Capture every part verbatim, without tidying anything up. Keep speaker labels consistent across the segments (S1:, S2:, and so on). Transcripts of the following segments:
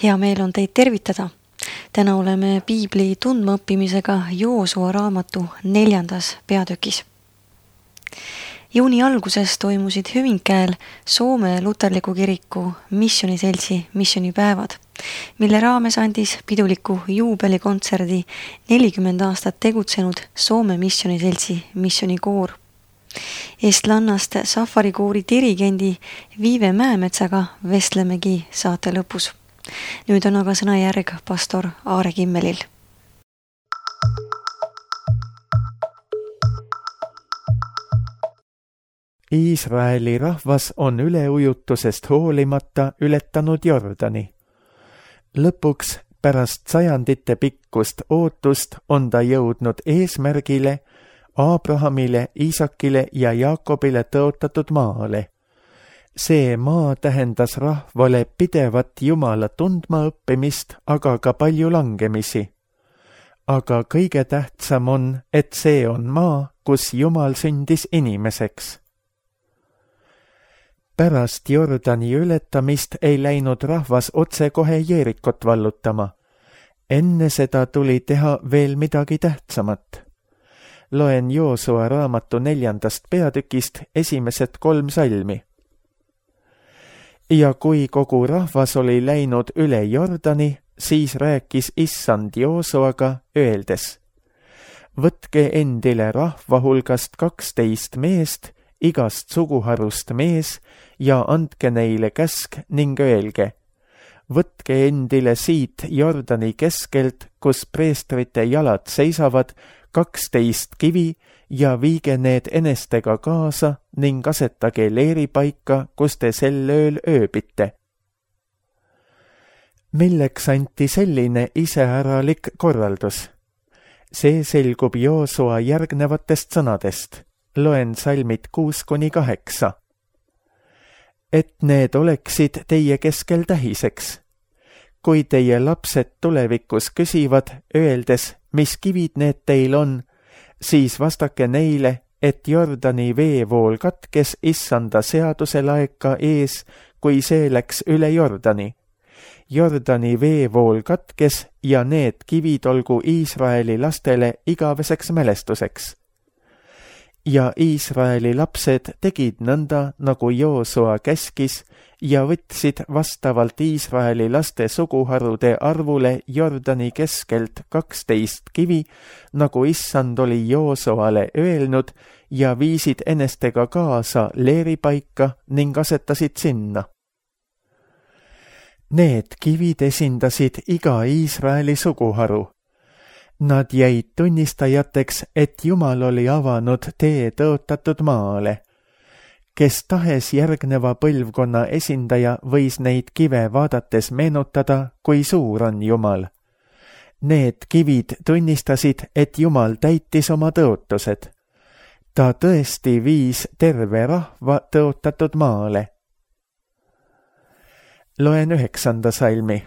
S1: Hea meel on teid tervitada. Täna oleme Piibli tundmaõppimisega Joosua raamatu neljandas peatükis. Juuni alguses toimusid Hyvinkääl Soome luterliku kiriku missioniseltsi missionipäevad, mille raames andis piduliku juubelikontserdi nelikümmend aastat tegutsenud Soome missioniseltsi missionikoor. Estlannast safarikoori dirigendi Viive Mäemetsaga vestlemegi saate lõpus. Nüüd on aga sõnajärg pastor Aare Kimmelil.
S2: Iisraeli rahvas on üleujutusest hoolimata ületanud Jordani. Lõpuks pärast sajandite pikkust ootust on ta jõudnud eesmärgile, Abrahamile, Iisakile ja Jaakobile tõotatud maale. See maa tähendas rahvale pidevat Jumala tundma õppimist, aga ka palju langemisi. Aga kõige tähtsam on, et see on maa, kus Jumal sündis inimeseks. Pärast Jordani ületamist ei läinud rahvas otsekohe Jeerikot vallutama. Enne seda tuli teha veel midagi tähtsamat. Loen Joosua raamatu neljandast peatükist esimesed kolm salmi. Ja kui kogu rahvas oli läinud üle Jordani, siis rääkis Issand Joosuaga öeldes: Võtke endile rahva hulgast kaksteist meest, igast suguharust mees, ja andke neile käsk ning öelge: Võtke endile siit Jordani keskelt, kus preestrite jalad seisavad, kaksteist kivi ja viige need enestega kaasa ning asetage leeripaika, kus te sel ööl ööbite. Milleks anti selline iseäralik korraldus? See selgub Joosua järgnevatest sõnadest. Loen salmid kuus kuni kaheksa. Et need oleksid teie keskel tähiseks. Kui teie lapsed tulevikus küsivad, öeldes, mis kivid need teil on, siis vastake neile, et Jordani veevool katkes Issanda seaduse laeka ees, kui see läks üle Jordani. Jordani veevool katkes ja need kivid olgu Iisraeli lastele igaveseks mälestuseks. Ja Iisraeli lapsed tegid nõnda, nagu Joosua käskis, ja võtsid vastavalt Iisraeli laste suguharude arvule Jordani keskelt kaksteist kivi, nagu Issand oli Joosuale öelnud, ja viisid enestega kaasa leeripaika ning asetasid sinna. Need kivid esindasid iga Iisraeli suguharu. Nad jäid tunnistajateks, et Jumal oli avanud tee tõotatud maale. Kes tahes järgneva põlvkonna esindaja võis neid kive vaadates meenutada, kui suur on Jumal. Need kivid tunnistasid, et Jumal täitis oma tõotused. Ta tõesti viis terve rahva tõotatud maale. Loen üheksanda salmi.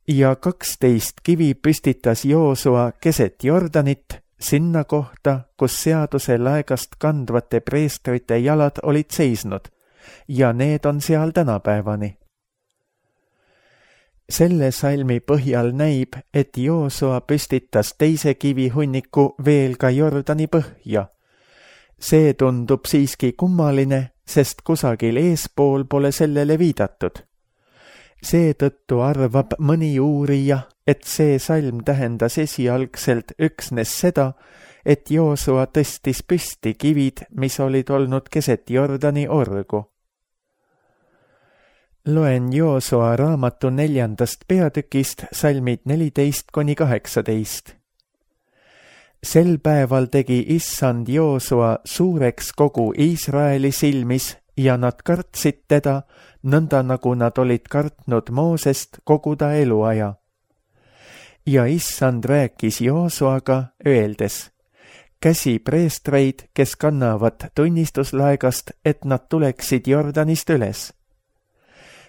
S2: Ja kaksteist kivi püstitas Joosua keset Jordanit, sinna kohta, kus seaduse laegast kandvate preestrite jalad olid seisnud, ja need on seal tänapäevani. Selle salmi põhjal näib, et Joosua püstitas teise kivihunniku veel ka Jordani põhja. See tundub siiski kummaline, sest kusagil eespool pole sellele viidatud. Seetõttu arvab mõni uurija, et see salm tähendas esialgselt üksnes seda, et Joosua tõstis püsti kivid, mis olid olnud keset Jordani orgu. Loen Joosua raamatu neljandast peatükist salmid neliteist kuni kaheksateist. Sel päeval tegi Issand Joosua suureks kogu Iisraeli silmis, ja nad kartsid teda, nõnda nagu nad olid kartnud Moosest kogu ta eluaja. Ja Issand rääkis Joosuaga, öeldes: Käsi preestreid, kes kannavad tunnistuslaegast, et nad tuleksid Jordanist üles.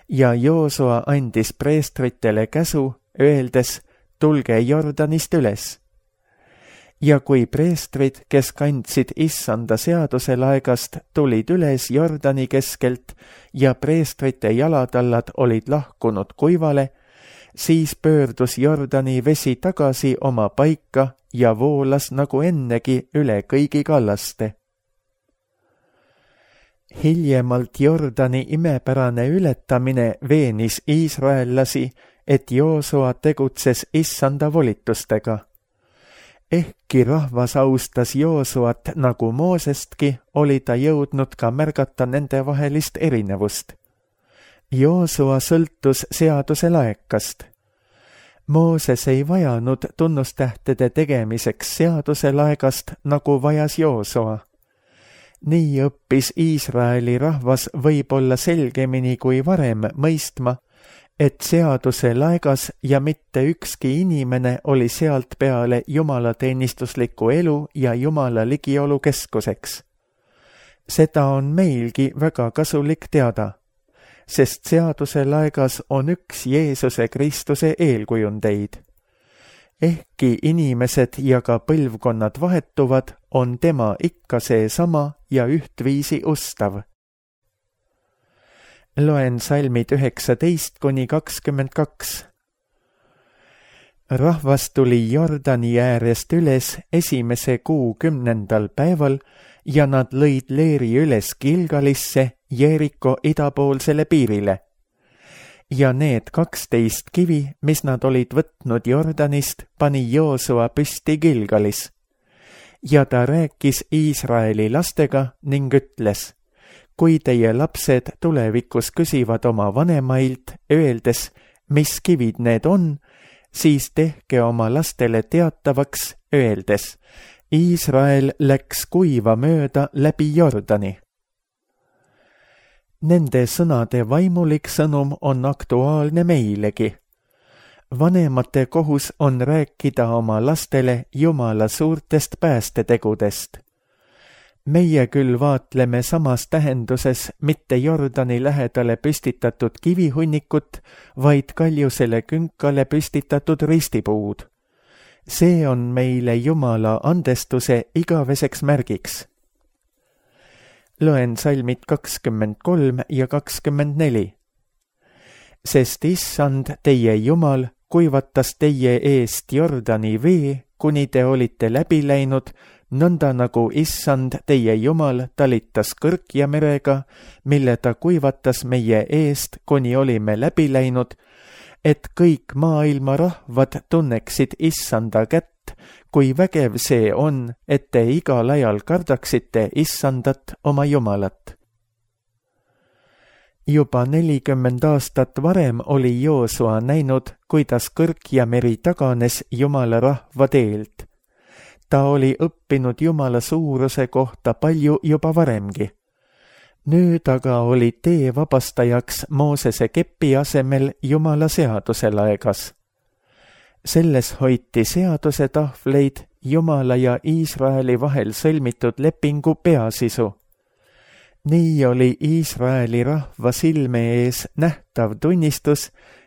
S2: Ja Joosua andis preestritele käsu, öeldes: Tulge Jordanist üles. ja kui preestrid, kes kandsid issanda seaduse laegast, tulid üles Jordani keskelt ja preestrite jalatallad olid lahkunud kuivale, siis pöördus Jordani vesi tagasi oma paika ja voolas nagu ennegi üle kõigi kallaste. Hiljemalt Jordani imepärane ületamine veenis iisraellasi, et Joosua tegutses issanda volitustega. Ehkki rahvas austas Joosuat nagu Moosestki, oli ta jõudnud ka märgata nende vahelist erinevust. Joosua sõltus seaduse laekast. Mooses ei vajanud tunnustähtede tegemiseks seaduse laegast, nagu vajas Joosua. Nii õppis Iisraeli rahvas võib-olla selgemini kui varem mõistma, et seaduse laegas ja mitte ükski inimene oli sealt peale jumalateenistusliku elu ja jumala ligiolu keskuseks. Seda on meilgi väga kasulik teada, sest seaduse laegas on üks Jeesuse Kristuse eelkujundeid. Ehkki inimesed ja ka põlvkonnad vahetuvad, on tema ikka seesama ja ühtviisi ustav. Loen salmid üheksateist kuni kakskümmend kaks. Rahvas tuli Jordani äärest üles esimese kuu kümnendal päeval ja nad lõid leeri üles Gilgalisse, Jeeriko idapoolsele piirile. Ja need kaksteist kivi, mis nad olid võtnud Jordanist, pani Joosua püsti Gilgalis. Ja ta rääkis Iisraeli lastega ning ütles: kui teie lapsed tulevikus küsivad oma vanemailt, öeldes, mis kivid need on, siis tehke oma lastele teatavaks, öeldes: Iisrael läks kuiva mööda läbi Jordani. Nende sõnade vaimulik sõnum on aktuaalne meilegi. Vanemate kohus on rääkida oma lastele Jumala suurtest päästetegudest. Meie küll vaatleme samas tähenduses mitte Jordani lähedale püstitatud kivihunnikut, vaid kaljusele künkale püstitatud ristipuud. See on meile Jumala andestuse igaveseks märgiks. Loen salmid kakskümmend kolm ja kakskümmend neli. Sest issand, teie Jumal, kuivatas teie eest Jordani vee, kuni te olite läbi läinud, nõnda nagu issand, teie Jumal, talitas kõrkja merega, mille ta kuivatas meie eest, kuni olime läbi läinud, et kõik maailma rahvad tunneksid issanda kätt, kui vägev see on, et te igal ajal kardaksite issandat oma Jumalat. Juba nelikümmend aastat varem oli Joosua näinud, kuidas kõrkja meri taganes Jumala rahva teelt. Ta oli õppinud Jumala suuruse kohta palju juba varemgi. Nüüd aga oli tee vabastajaks Moosese kepi asemel Jumala seaduse laegas. Selles hoiti seaduse tahvleid Jumala ja Iisraeli vahel sõlmitud lepingu peasisu. Nii oli Iisraeli rahva silme ees nähtav tunnistus,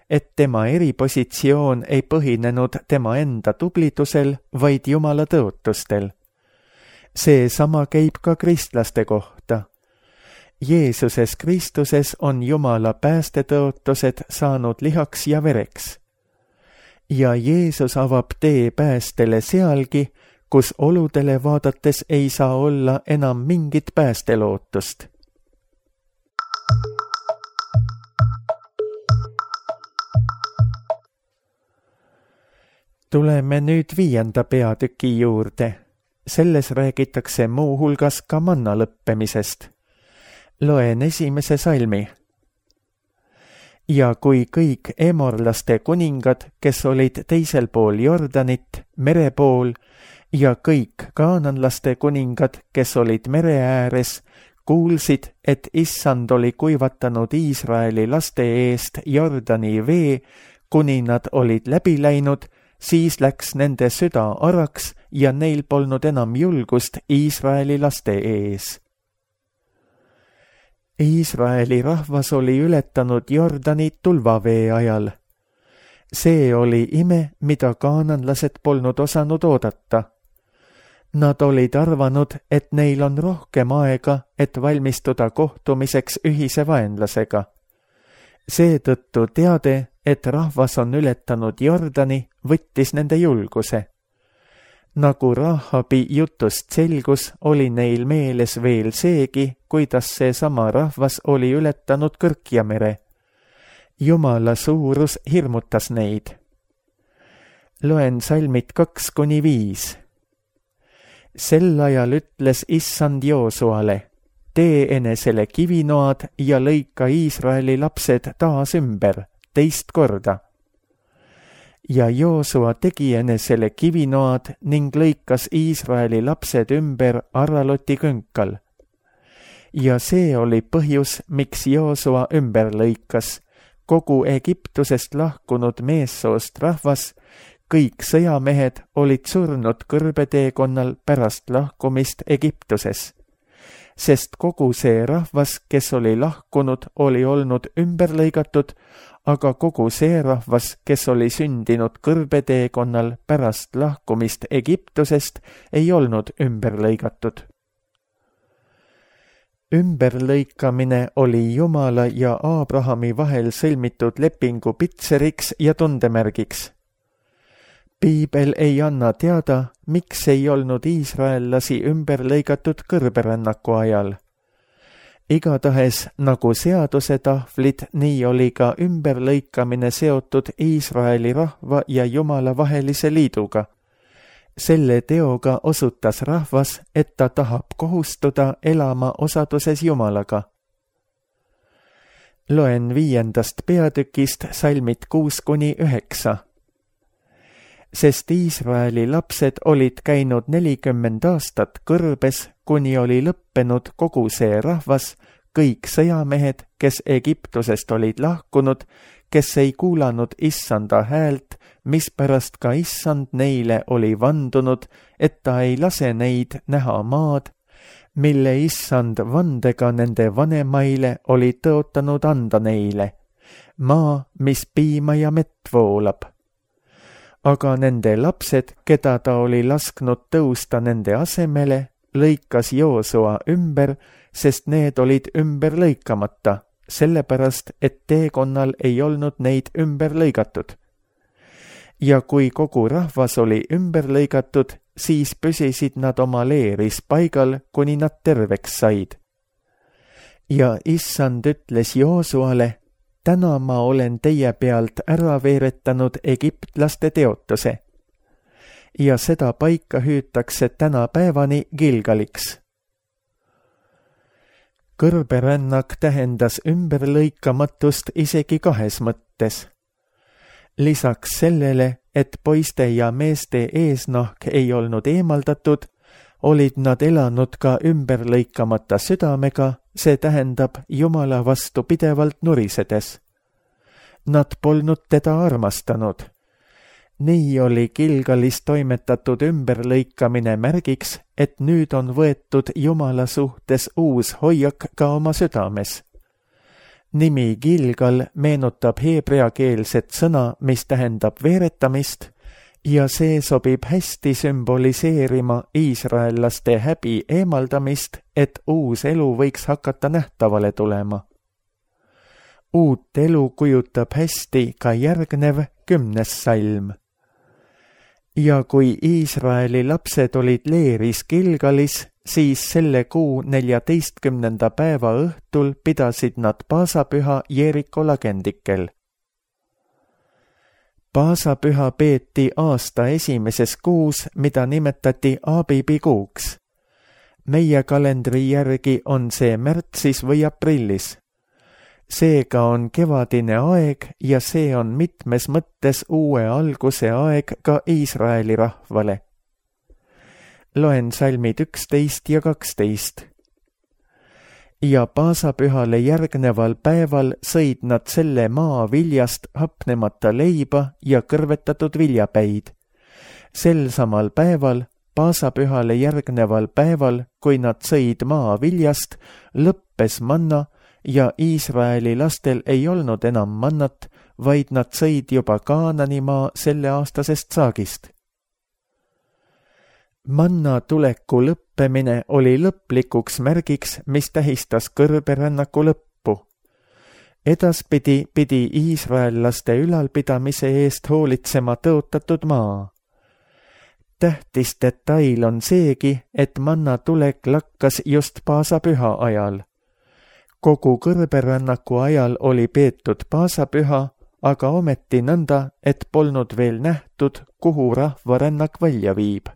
S2: et tema eripositsioon ei põhinenud tema enda tublidusel, vaid Jumala tõotustel. See sama käib ka kristlaste kohta. Jeesuses Kristuses on Jumala päästetõotused saanud lihaks ja vereks. Ja Jeesus avab tee päästele sealgi, kus oludele vaadates ei saa olla enam mingit päästelootust. Tuleme nüüd viienda peatüki juurde. Selles räägitakse muu hulgas ka manna lõppemisest. Loen esimese salmi. Ja kui kõik emorlaste kuningad, kes olid teisel pool Jordanit, mere pool, ja kõik kaananlaste kuningad, kes olid mere ääres, kuulsid, et issand oli kuivatanud Iisraeli laste eest Jordani vee, kuni nad olid läbi läinud, siis läks nende süda araks ja neil polnud enam julgust Iisraeli laste ees. Iisraeli rahvas oli ületanud Jordani tulvavee ajal. See oli ime, mida kaananlased polnud osanud oodata. Nad olid arvanud, et neil on rohkem aega, et valmistuda kohtumiseks ühise vaenlasega. Seetõttu teade, et rahvas on ületanud Jordani, võttis nende julguse. Nagu Rahabi jutust selgus, oli neil meeles veel seegi, kuidas seesama rahvas oli ületanud Kõrkjamere. Jumala suurus hirmutas neid. Loen salmid kaks kuni viis. Sel ajal ütles Issand Joosuale, tee enesele kivinoad ja lõika Iisraeli lapsed taas ümber, teist korda. Ja Joosua tegi enesele kivinoad ning lõikas Iisraeli lapsed ümber Araloti künkal. Ja see oli põhjus, miks Joosua ümber lõikas, kogu Egiptusest lahkunud meessoost rahvas, kõik sõjamehed olid surnud kõrbeteekonnal pärast lahkumist Egiptuses, sest kogu see rahvas, kes oli lahkunud, oli olnud ümber lõigatud, aga kogu see rahvas, kes oli sündinud kõrbeteekonnal pärast lahkumist Egiptusest, ei olnud ümber lõigatud. Ümberlõikamine oli Jumala ja Aabrahami vahel sõlmitud lepingu pitseriks ja tundemärgiks. Piibel ei anna teada, miks ei olnud iisraellasi ümber lõigatud kõrberännaku ajal. Igatahes nagu seaduse tahvlid, nii oli ka ümberlõikamine seotud Iisraeli rahva ja Jumala vahelise liiduga. Selle teoga osutas rahvas, et ta tahab kohustuda elama osaduses Jumalaga. Loen viiendast peatükist salmid kuus kuni üheksa. Sest Iisraeli lapsed olid käinud nelikümmend aastat kõrbes, kuni oli lõppenud kogu see rahvas, kõik sõjamehed, kes Egiptusest olid lahkunud, kes ei kuulanud Issanda häält, mispärast ka Issand neile oli vandunud, et ta ei lase neid näha maad, mille Issand vandega nende vanemaile oli tõotanud anda neile, maa, mis piima ja mett voolab. Aga nende lapsed, keda ta oli lasknud tõusta nende asemele, lõikas Joosua ümber, sest need olid ümber lõikamata, sellepärast, et teekonnal ei olnud neid ümber lõigatud. Ja kui kogu rahvas oli ümber lõigatud, siis püsisid nad oma leeris paigal, kuni nad terveks said. Ja Issand ütles Joosuale, täna ma olen teie pealt ära veeretanud egiptlaste teotuse. Ja seda paika hüütakse tänapäevani Gilgaliks. Kõrberännak tähendas ümberlõikamatust isegi kahes mõttes. Lisaks sellele, et poiste ja meeste eesnahk ei olnud eemaldatud, olid nad elanud ka ümberlõikamata südamega, see tähendab Jumala vastu pidevalt nurisedes. Nad polnud teda armastanud. Nii oli Gilgalis toimetatud ümberlõikamine märgiks, et nüüd on võetud Jumala suhtes uus hoiak ka oma südames. Nimi Gilgal meenutab heebreakeelset sõna, mis tähendab veeretamist, ja see sobib hästi sümboliseerima iisraellaste häbi eemaldamist, et uus elu võiks hakata nähtavale tulema. Uut elu kujutab hästi ka järgnev kümnes salm. Ja kui Iisraeli lapsed olid leeris Gilgalis, siis selle kuu neljateistkümnenda päeva õhtul pidasid nad paasapüha Jeeriko lagendikel. Paasapüha peeti aasta esimeses kuus, mida nimetati Aabibi kuuks. Meie kalendri järgi on see märtsis või aprillis. Seega on kevadine aeg ja see on mitmes mõttes uue alguse aeg ka Iisraeli rahvale. Loen salmid üksteist ja kaksteist. Ja paasapühale järgneval päeval sõid nad selle maa viljast hapnemata leiba ja kõrvetatud viljapäid. Sel samal päeval, paasapühale järgneval päeval, kui nad sõid maa viljast, lõppes manna ja Iisraeli lastel ei olnud enam mannat, vaid nad sõid juba Kaanani maa selle aastasest saagist. Manna tuleku lõppemine oli lõplikuks märgiks, mis tähistas kõrberännaku lõppu. Edaspidi pidi iisraellaste ülalpidamise eest hoolitsema tõotatud maa. Tähtis detail on seegi, et manna tulek lakkas just paasapüha ajal. Kogu kõrberännaku ajal oli peetud paasapüha, aga ometi nõnda, et polnud veel nähtud, kuhu rahvarännak välja viib.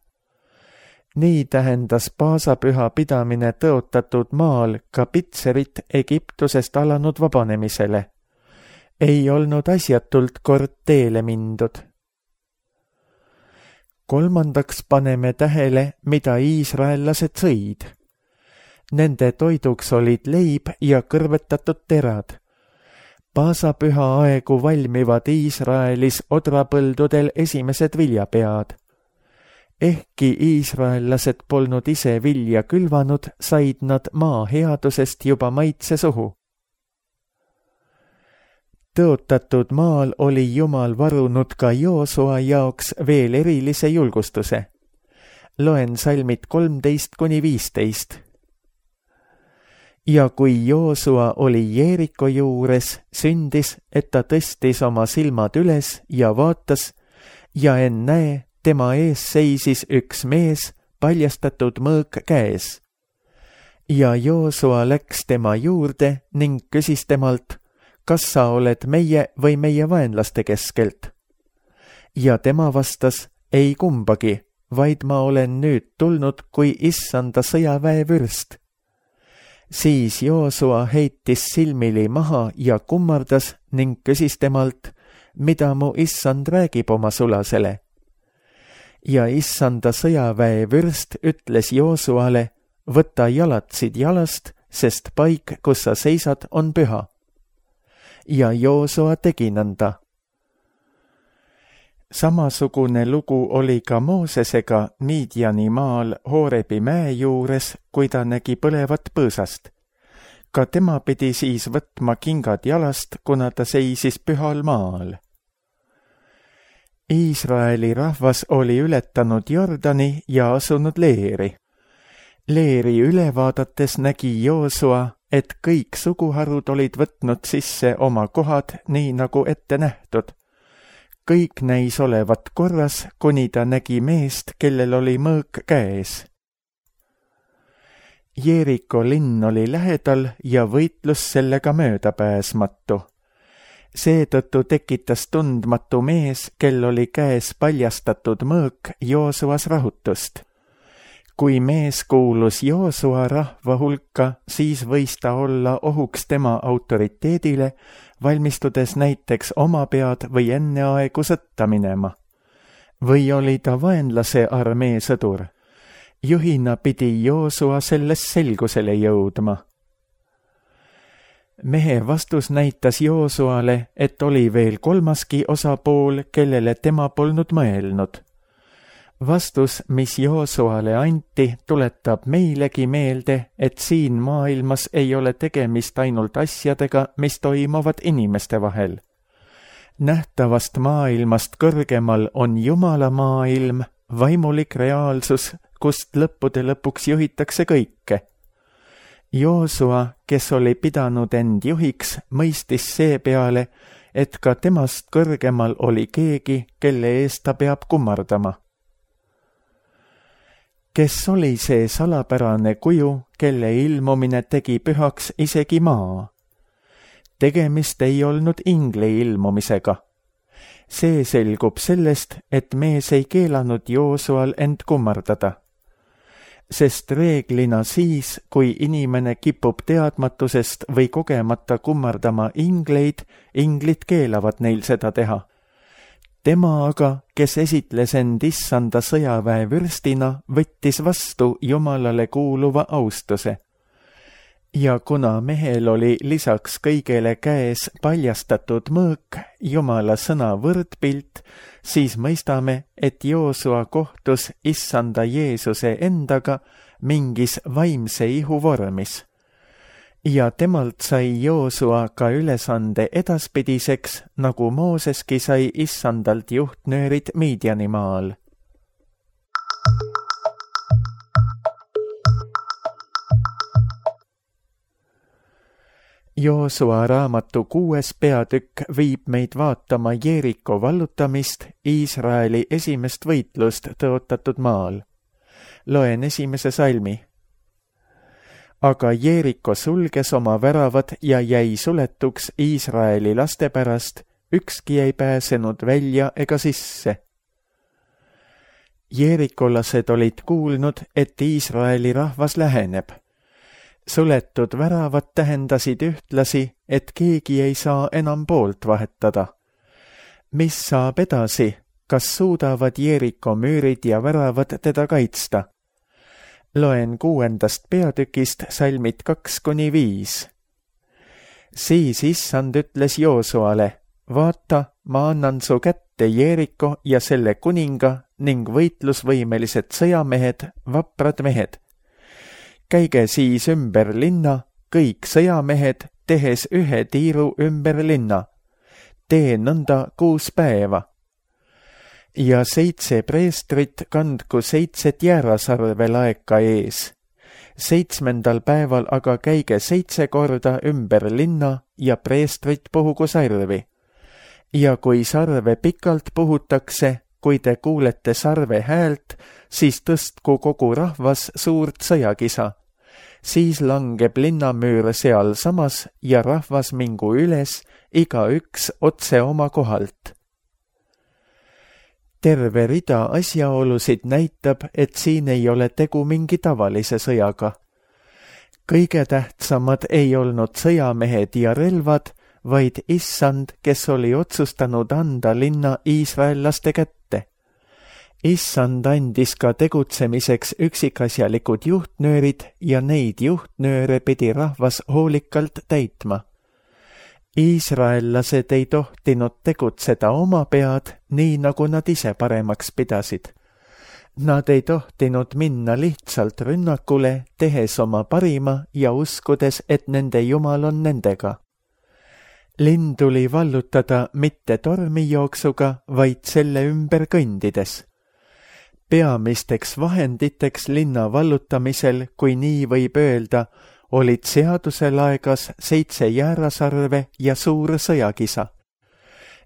S2: Nii tähendas paasapüha pidamine tõotatud maal ka Pitserit Egiptusest alanud vabanemisele. Ei olnud asjatult kord teele mindud. Kolmandaks paneme tähele, mida iisraellased sõid. Nende toiduks olid leib ja kõrvetatud terad. Paasapüha aegu valmivad Iisraelis odrapõldudel esimesed viljapead. Ehkki iisraellased polnud ise vilja külvanud, said nad maa headusest juba maitse suhu. Tõotatud maal oli Jumal varunud ka Joosua jaoks veel erilise julgustuse. Loen salmid kolmteist kuni viisteist. Ja kui Joosua oli Jeeriko juures, sündis, et ta tõstis oma silmad üles ja vaatas, ja ennäe, tema ees seisis üks mees, paljastatud mõõk käes. Ja Joosua läks tema juurde ning küsis temalt, kas sa oled meie või meie vaenlaste keskelt? Ja tema vastas, ei kumbagi, vaid ma olen nüüd tulnud kui issanda sõjaväe vürst. Siis Joosua heitis silmili maha ja kummardas ning küsis temalt, mida mu issand räägib oma sulasele. Ja issanda sõjaväe vürst ütles Joosuale, võta jalatsid jalast, sest paik, kus sa seisad, on püha. Ja Joosua tegi nõnda. Samasugune lugu oli ka Moosesega Midiani maal Hoorebi mäe juures, kui ta nägi põlevat põõsast. Ka tema pidi siis võtma kingad jalast, kuna ta seisis pühal maal. Iisraeli rahvas oli ületanud Jordani ja asunud Leeri. Leeri üle vaadates nägi Joosua, et kõik suguharud olid võtnud sisse oma kohad nii nagu ette nähtud. Kõik näis olevat korras, kuni ta nägi meest, kellel oli mõõk käes. Jeeriko linn oli lähedal ja võitlus sellega möödapääsmatu. Seetõttu tekitas tundmatu mees, kel oli käes paljastatud mõõk, Joosuas rahutust. Kui mees kuulus Joosua rahva hulka, siis võis ta olla ohuks tema autoriteedile, valmistudes näiteks oma pead või enneaegu sõtta minema. Või oli ta vaenlase armee sõdur? Juhina pidi Joosua selles selgusele jõudma. Mehe vastus näitas Joosuale, et oli veel kolmaski osapool, kellele tema polnud mõelnud. Vastus, mis Joosuale anti, tuletab meilegi meelde, et siin maailmas ei ole tegemist ainult asjadega, mis toimuvad inimeste vahel. Nähtavast maailmast kõrgemal on Jumala maailm, vaimulik reaalsus, kust lõppude lõpuks juhitakse kõike. Joosua, kes oli pidanud end juhiks, mõistis seepeale, et ka temast kõrgemal oli keegi, kelle eest ta peab kummardama. Kes oli see salapärane kuju, kelle ilmumine tegi pühaks isegi maa? Tegemist ei olnud ingli ilmumisega. See selgub sellest, et mees ei keelanud Joosual end kummardada. Sest reeglina siis, kui inimene kipub teadmatusest või kogemata kummardama ingleid, inglid keelavad neil seda teha. Tema aga, kes esitles end issanda sõjaväe vürstina, võttis vastu Jumalale kuuluva austuse. Ja kuna mehel oli lisaks kõigele käes paljastatud mõõk, Jumala sõna võrdpilt, siis mõistame, et Joosua kohtus issanda Jeesuse endaga mingis vaimse ihu vormis. Ja temalt sai Joosua ka ülesande edaspidiseks, nagu Mooseski sai issandalt juhtnöörid Midiani maal. Joosua raamatu kuues peatükk viib meid vaatama Jeeriko vallutamist, Iisraeli esimest võitlust tõotatud maal. Loen esimese salmi. Aga Jeeriko sulges oma väravad ja jäi suletuks Iisraeli laste pärast, ükski ei pääsenud välja ega sisse. Jeerikolased olid kuulnud, et Iisraeli rahvas läheneb. Suletud väravad tähendasid ühtlasi, et keegi ei saa enam poolt vahetada. Mis saab edasi, kas suudavad Jeeriko müürid ja väravad teda kaitsta? Loen kuuendast peatükist salmid kaks kuni viis. Siis issand ütles Joosuale, vaata, ma annan su kätte Jeeriko ja selle kuninga ning võitlusvõimelised sõjamehed, vaprad mehed. Käige siis ümber linna, kõik sõjamehed, tehes ühe tiiru ümber linna. Tee nõnda kuus päeva. Ja seitse preestrit kandku seitset jäärasarve laeka ees. Seitsmendal päeval aga käige seitse korda ümber linna ja preestrit puhugu sarvi. Ja kui sarve pikalt puhutakse, kui te kuulete sarve häält, siis tõstku kogu rahvas suurt sõjakisa. Siis langeb linnamüür seal samas ja rahvas mingu üles, iga üks otse oma kohalt. Terve rida asjaolusid näitab, et siin ei ole tegu mingi tavalise sõjaga. Kõige tähtsamad ei olnud sõjamehed ja relvad, vaid issand, kes oli otsustanud anda linna iisraellaste kätte. Issand andis ka tegutsemiseks üksikasjalikud juhtnöörid ja neid juhtnööre pidi rahvas hoolikalt täitma. Iisraellased ei tohtinud tegutseda oma pead, nii nagu nad ise paremaks pidasid. Nad ei tohtinud minna lihtsalt rünnakule, tehes oma parima ja uskudes, et nende Jumal on nendega. Linn tuli vallutada mitte tormijooksuga, vaid selle ümber kõndides. Peamisteks vahenditeks linna vallutamisel, kui nii võib öelda, olid seaduse laegas seitse jäärasarve ja suur sõjakisa.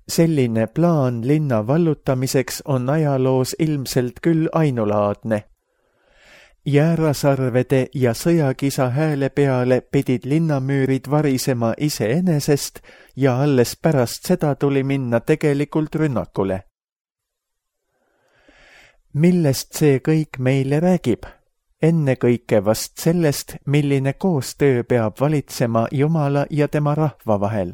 S2: Selline plaan linna vallutamiseks on ajaloos ilmselt küll ainulaadne. Jäärasarvede ja sõjakisa hääle peale pidid linnamüürid varisema iseenesest ja alles pärast seda tuli minna tegelikult rünnakule. Millest see kõik meile räägib? Ennekõike vast sellest, milline koostöö peab valitsema Jumala ja tema rahva vahel.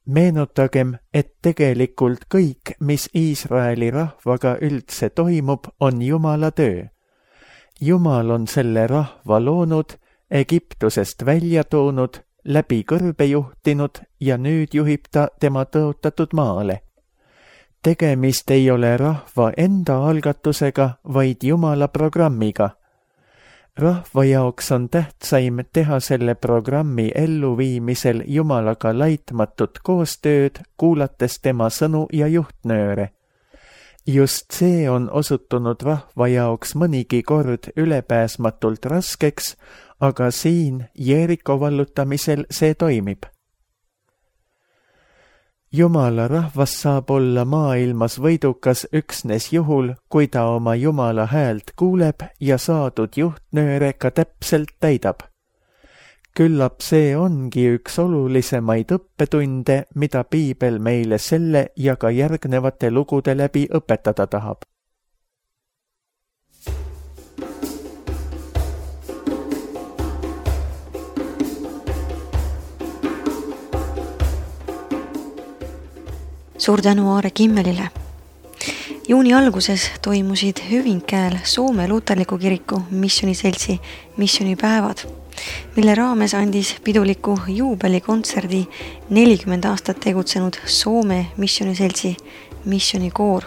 S2: Meenutagem, et tegelikult kõik, mis Iisraeli rahvaga üldse toimub, on Jumala töö. Jumal on selle rahva loonud, Egiptusest välja toonud, läbi kõrbe juhtinud ja nüüd juhib ta tema tõotatud maale. Tegemist ei ole rahva enda algatusega, vaid Jumala programmiga. Rahva jaoks on tähtsaim teha selle programmi elluviimisel Jumalaga laitmatut koostööd, kuulates tema sõnu ja juhtnööre. Just see on osutunud rahva jaoks mõnigi kord ülepääsmatult raskeks, aga siin Jeeriko vallutamisel see toimib. Jumala rahvas saab olla maailmas võidukas üksnes juhul, kui ta oma Jumala häält kuuleb ja saadud juhtnööre ka täpselt täidab. Küllap see ongi üks olulisemaid õppetunde, mida piibel meile selle ja ka järgnevate lugude läbi õpetada tahab.
S1: Suur tänu Aare Kimmelile. Juuni alguses toimusid Hyvinkääl Soome luterliku kiriku missiooniseltsi missioonipäevad, mille raames andis piduliku juubelikontserdi nelikümmend aastat tegutsenud Soome missiooniseltsi missioonikoor.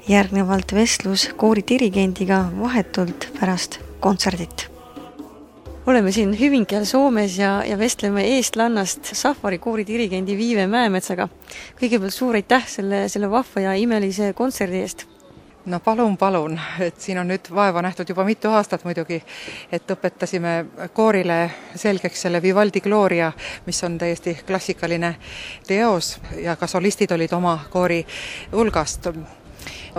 S1: Järgnevalt vestlus koori dirigendiga vahetult pärast kontserdit. Oleme siin Hyvinkääl Soomes ja, ja vestleme eestlannast Safari koori dirigendi Viive Mäemetsaga. Kõigepealt suur aitäh selle, selle vahva ja imelise kontserdi eest.
S3: No palun, palun, et siin on nüüd vaeva nähtud juba mitu aastat muidugi, et õpetasime koorile selgeks selle Vivaldi Gloria, mis on täiesti klassikaline teos ja ka solistid olid oma koori hulgast.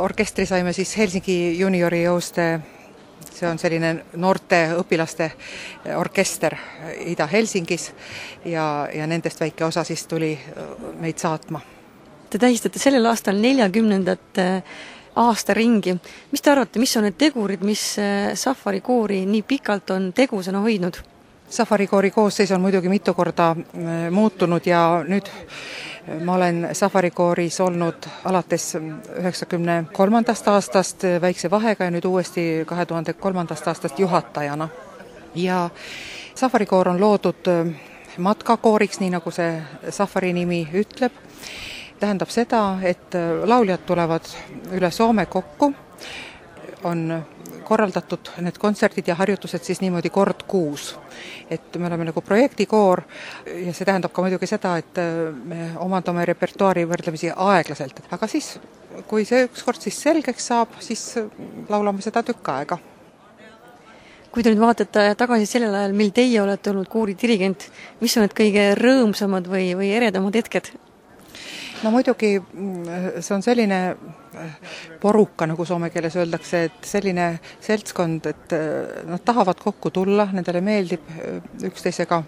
S3: Orkestri saime siis Helsingi juniori jõuste, see on selline noorte õpilaste orkester Ida-Helsingis ja, ja nendest väike osa siis tuli meid saatma.
S1: Te tähistate sellel aastal neljakümnendat aasta ringi. Mis te arvate, mis on need tegurid, mis Safari koori nii pikalt on tegusana hoidnud?
S3: Safari koori koosseis on muidugi mitu korda muutunud ja nüüd ma olen Safari kooris olnud alates üheksakümne kolmandast aastast väikse vahega ja nüüd uuesti kahe tuhande kolmandast aastast juhatajana. Ja Safari koor on loodud matkakooriks, nii nagu see Safari nimi ütleb. Tähendab seda, et lauljad tulevad üle Soome kokku, on korraldatud need kontserdid ja harjutused siis niimoodi kord kuus. Et me oleme nagu projektikoor ja see tähendab ka muidugi seda, et me omandame repertuaari võrdlemisi aeglaselt. Aga siis, kui see ükskord siis selgeks saab, siis laulame seda tükk aega.
S1: Kui te nüüd vaatate tagasi sellel ajal, mil teie olete olnud koori dirigent, mis on need kõige rõõmsamad või, või eredamad hetked?
S3: No muidugi see on selline poruka, nagu soome keeles öeldakse, et selline seltskond, et nad tahavad kokku tulla, nendele meeldib üksteisega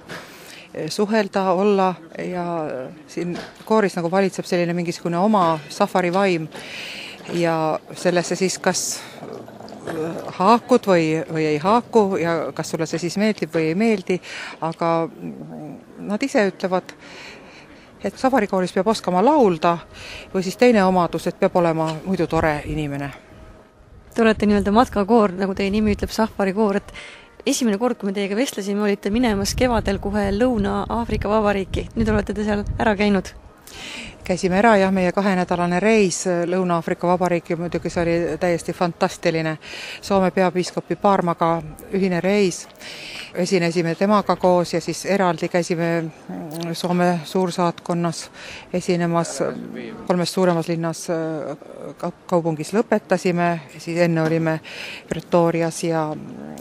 S3: suhelda, olla ja siin kooris nagu valitseb selline mingisugune oma Safari vaim ja sellesse siis kas haakud või, või ei haaku ja kas sulle see siis meeldib või ei meeldi, aga nad ise ütlevad, et Safari kooris peab oskama laulda või siis teine omadus, et peab olema muidu tore inimene.
S1: Te olete nii-öelda matkakoor, nagu teie nimi ütleb, Safari koor, et esimene kord, kui me teiega vestlesime, olite minemas kevadel kohe Lõuna-Aafrika Vabariiki. Nüüd olete te seal ära käinud?
S3: Käisime ära ja meie kahenädalane reis Lõuna-Aafrika Vabariiki, muidugi see oli täiesti fantastiline. Soome peapiiskopi Paarmaga ühine reis. Esinesime temaga koos ja siis eraldi käisime Soome suursaatkonnas esinemas kolmes suuremas linnas kaupungis lõpetasime, siis enne olime Pretorias ja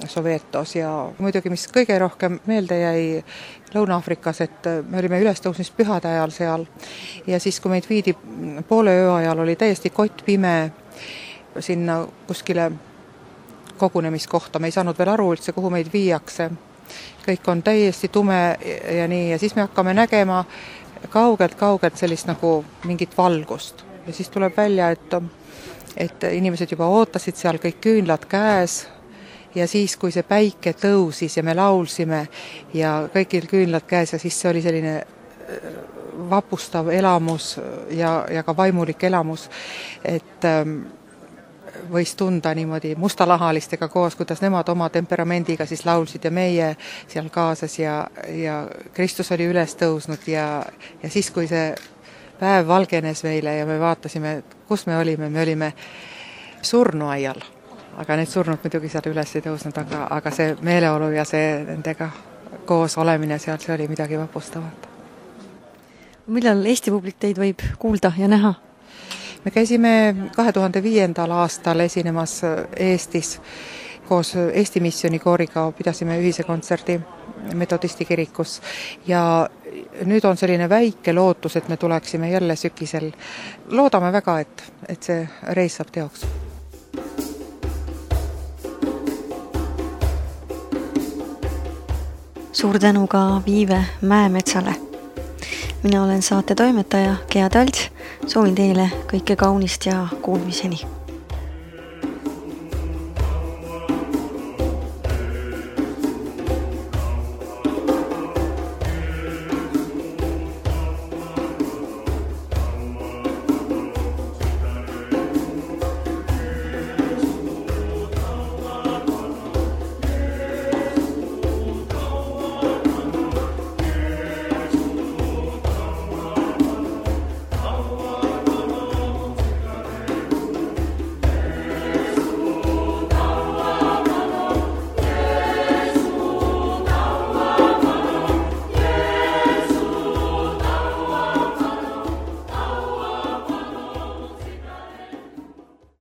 S3: Sovetos ja muidugi, mis kõige rohkem meelde jäi Lõuna-Aafrikas, et me olime ülestõusmispühade ajal seal ja siis, kui meid viidi poole öö ajal, oli täiesti kott pime sinna kuskile kogunemiskohta, me ei saanud veel aru üldse, kuhu meid viiakse. Kõik on täiesti tume ja nii, ja siis me hakkame nägema kaugelt-kaugelt sellist nagu mingit valgust. Ja siis tuleb välja, et, et inimesed juba ootasid seal kõik küünlad käes ja siis, kui see päike tõusis ja me laulsime ja kõigil küünlad käes ja siis see oli selline vapustav elamus ja, ja ka vaimulik elamus, et võis tunda niimoodi mustalahalistega koos, kuidas nemad oma temperamendiga siis laulsid ja meie seal kaasas ja, ja Kristus oli üles tõusnud ja, ja siis, kui see päev valgenes meile ja me vaatasime, kus me olime, me olime surnuaial, aga need surnud muidugi seal üles ei tõusnud, aga, aga see meeleolu ja see nendega koos olemine seal, see oli midagi vapustavat.
S1: Millal Eesti publik teid võib kuulda ja näha?
S3: Me käisime kahe tuhande viiendal aastal esinemas Eestis koos Eesti Missioni kooriga, pidasime ühise kontserdi Metodisti kirikus ja nüüd on selline väike lootus, et me tuleksime jälle sügisel. Loodame väga, et, et see reis saab teoks.
S1: Suur tänu ka Viive Mäemetsale. Mina olen saate toimetaja Gea Talts, soovin teile kõike kaunist ja kuulmiseni.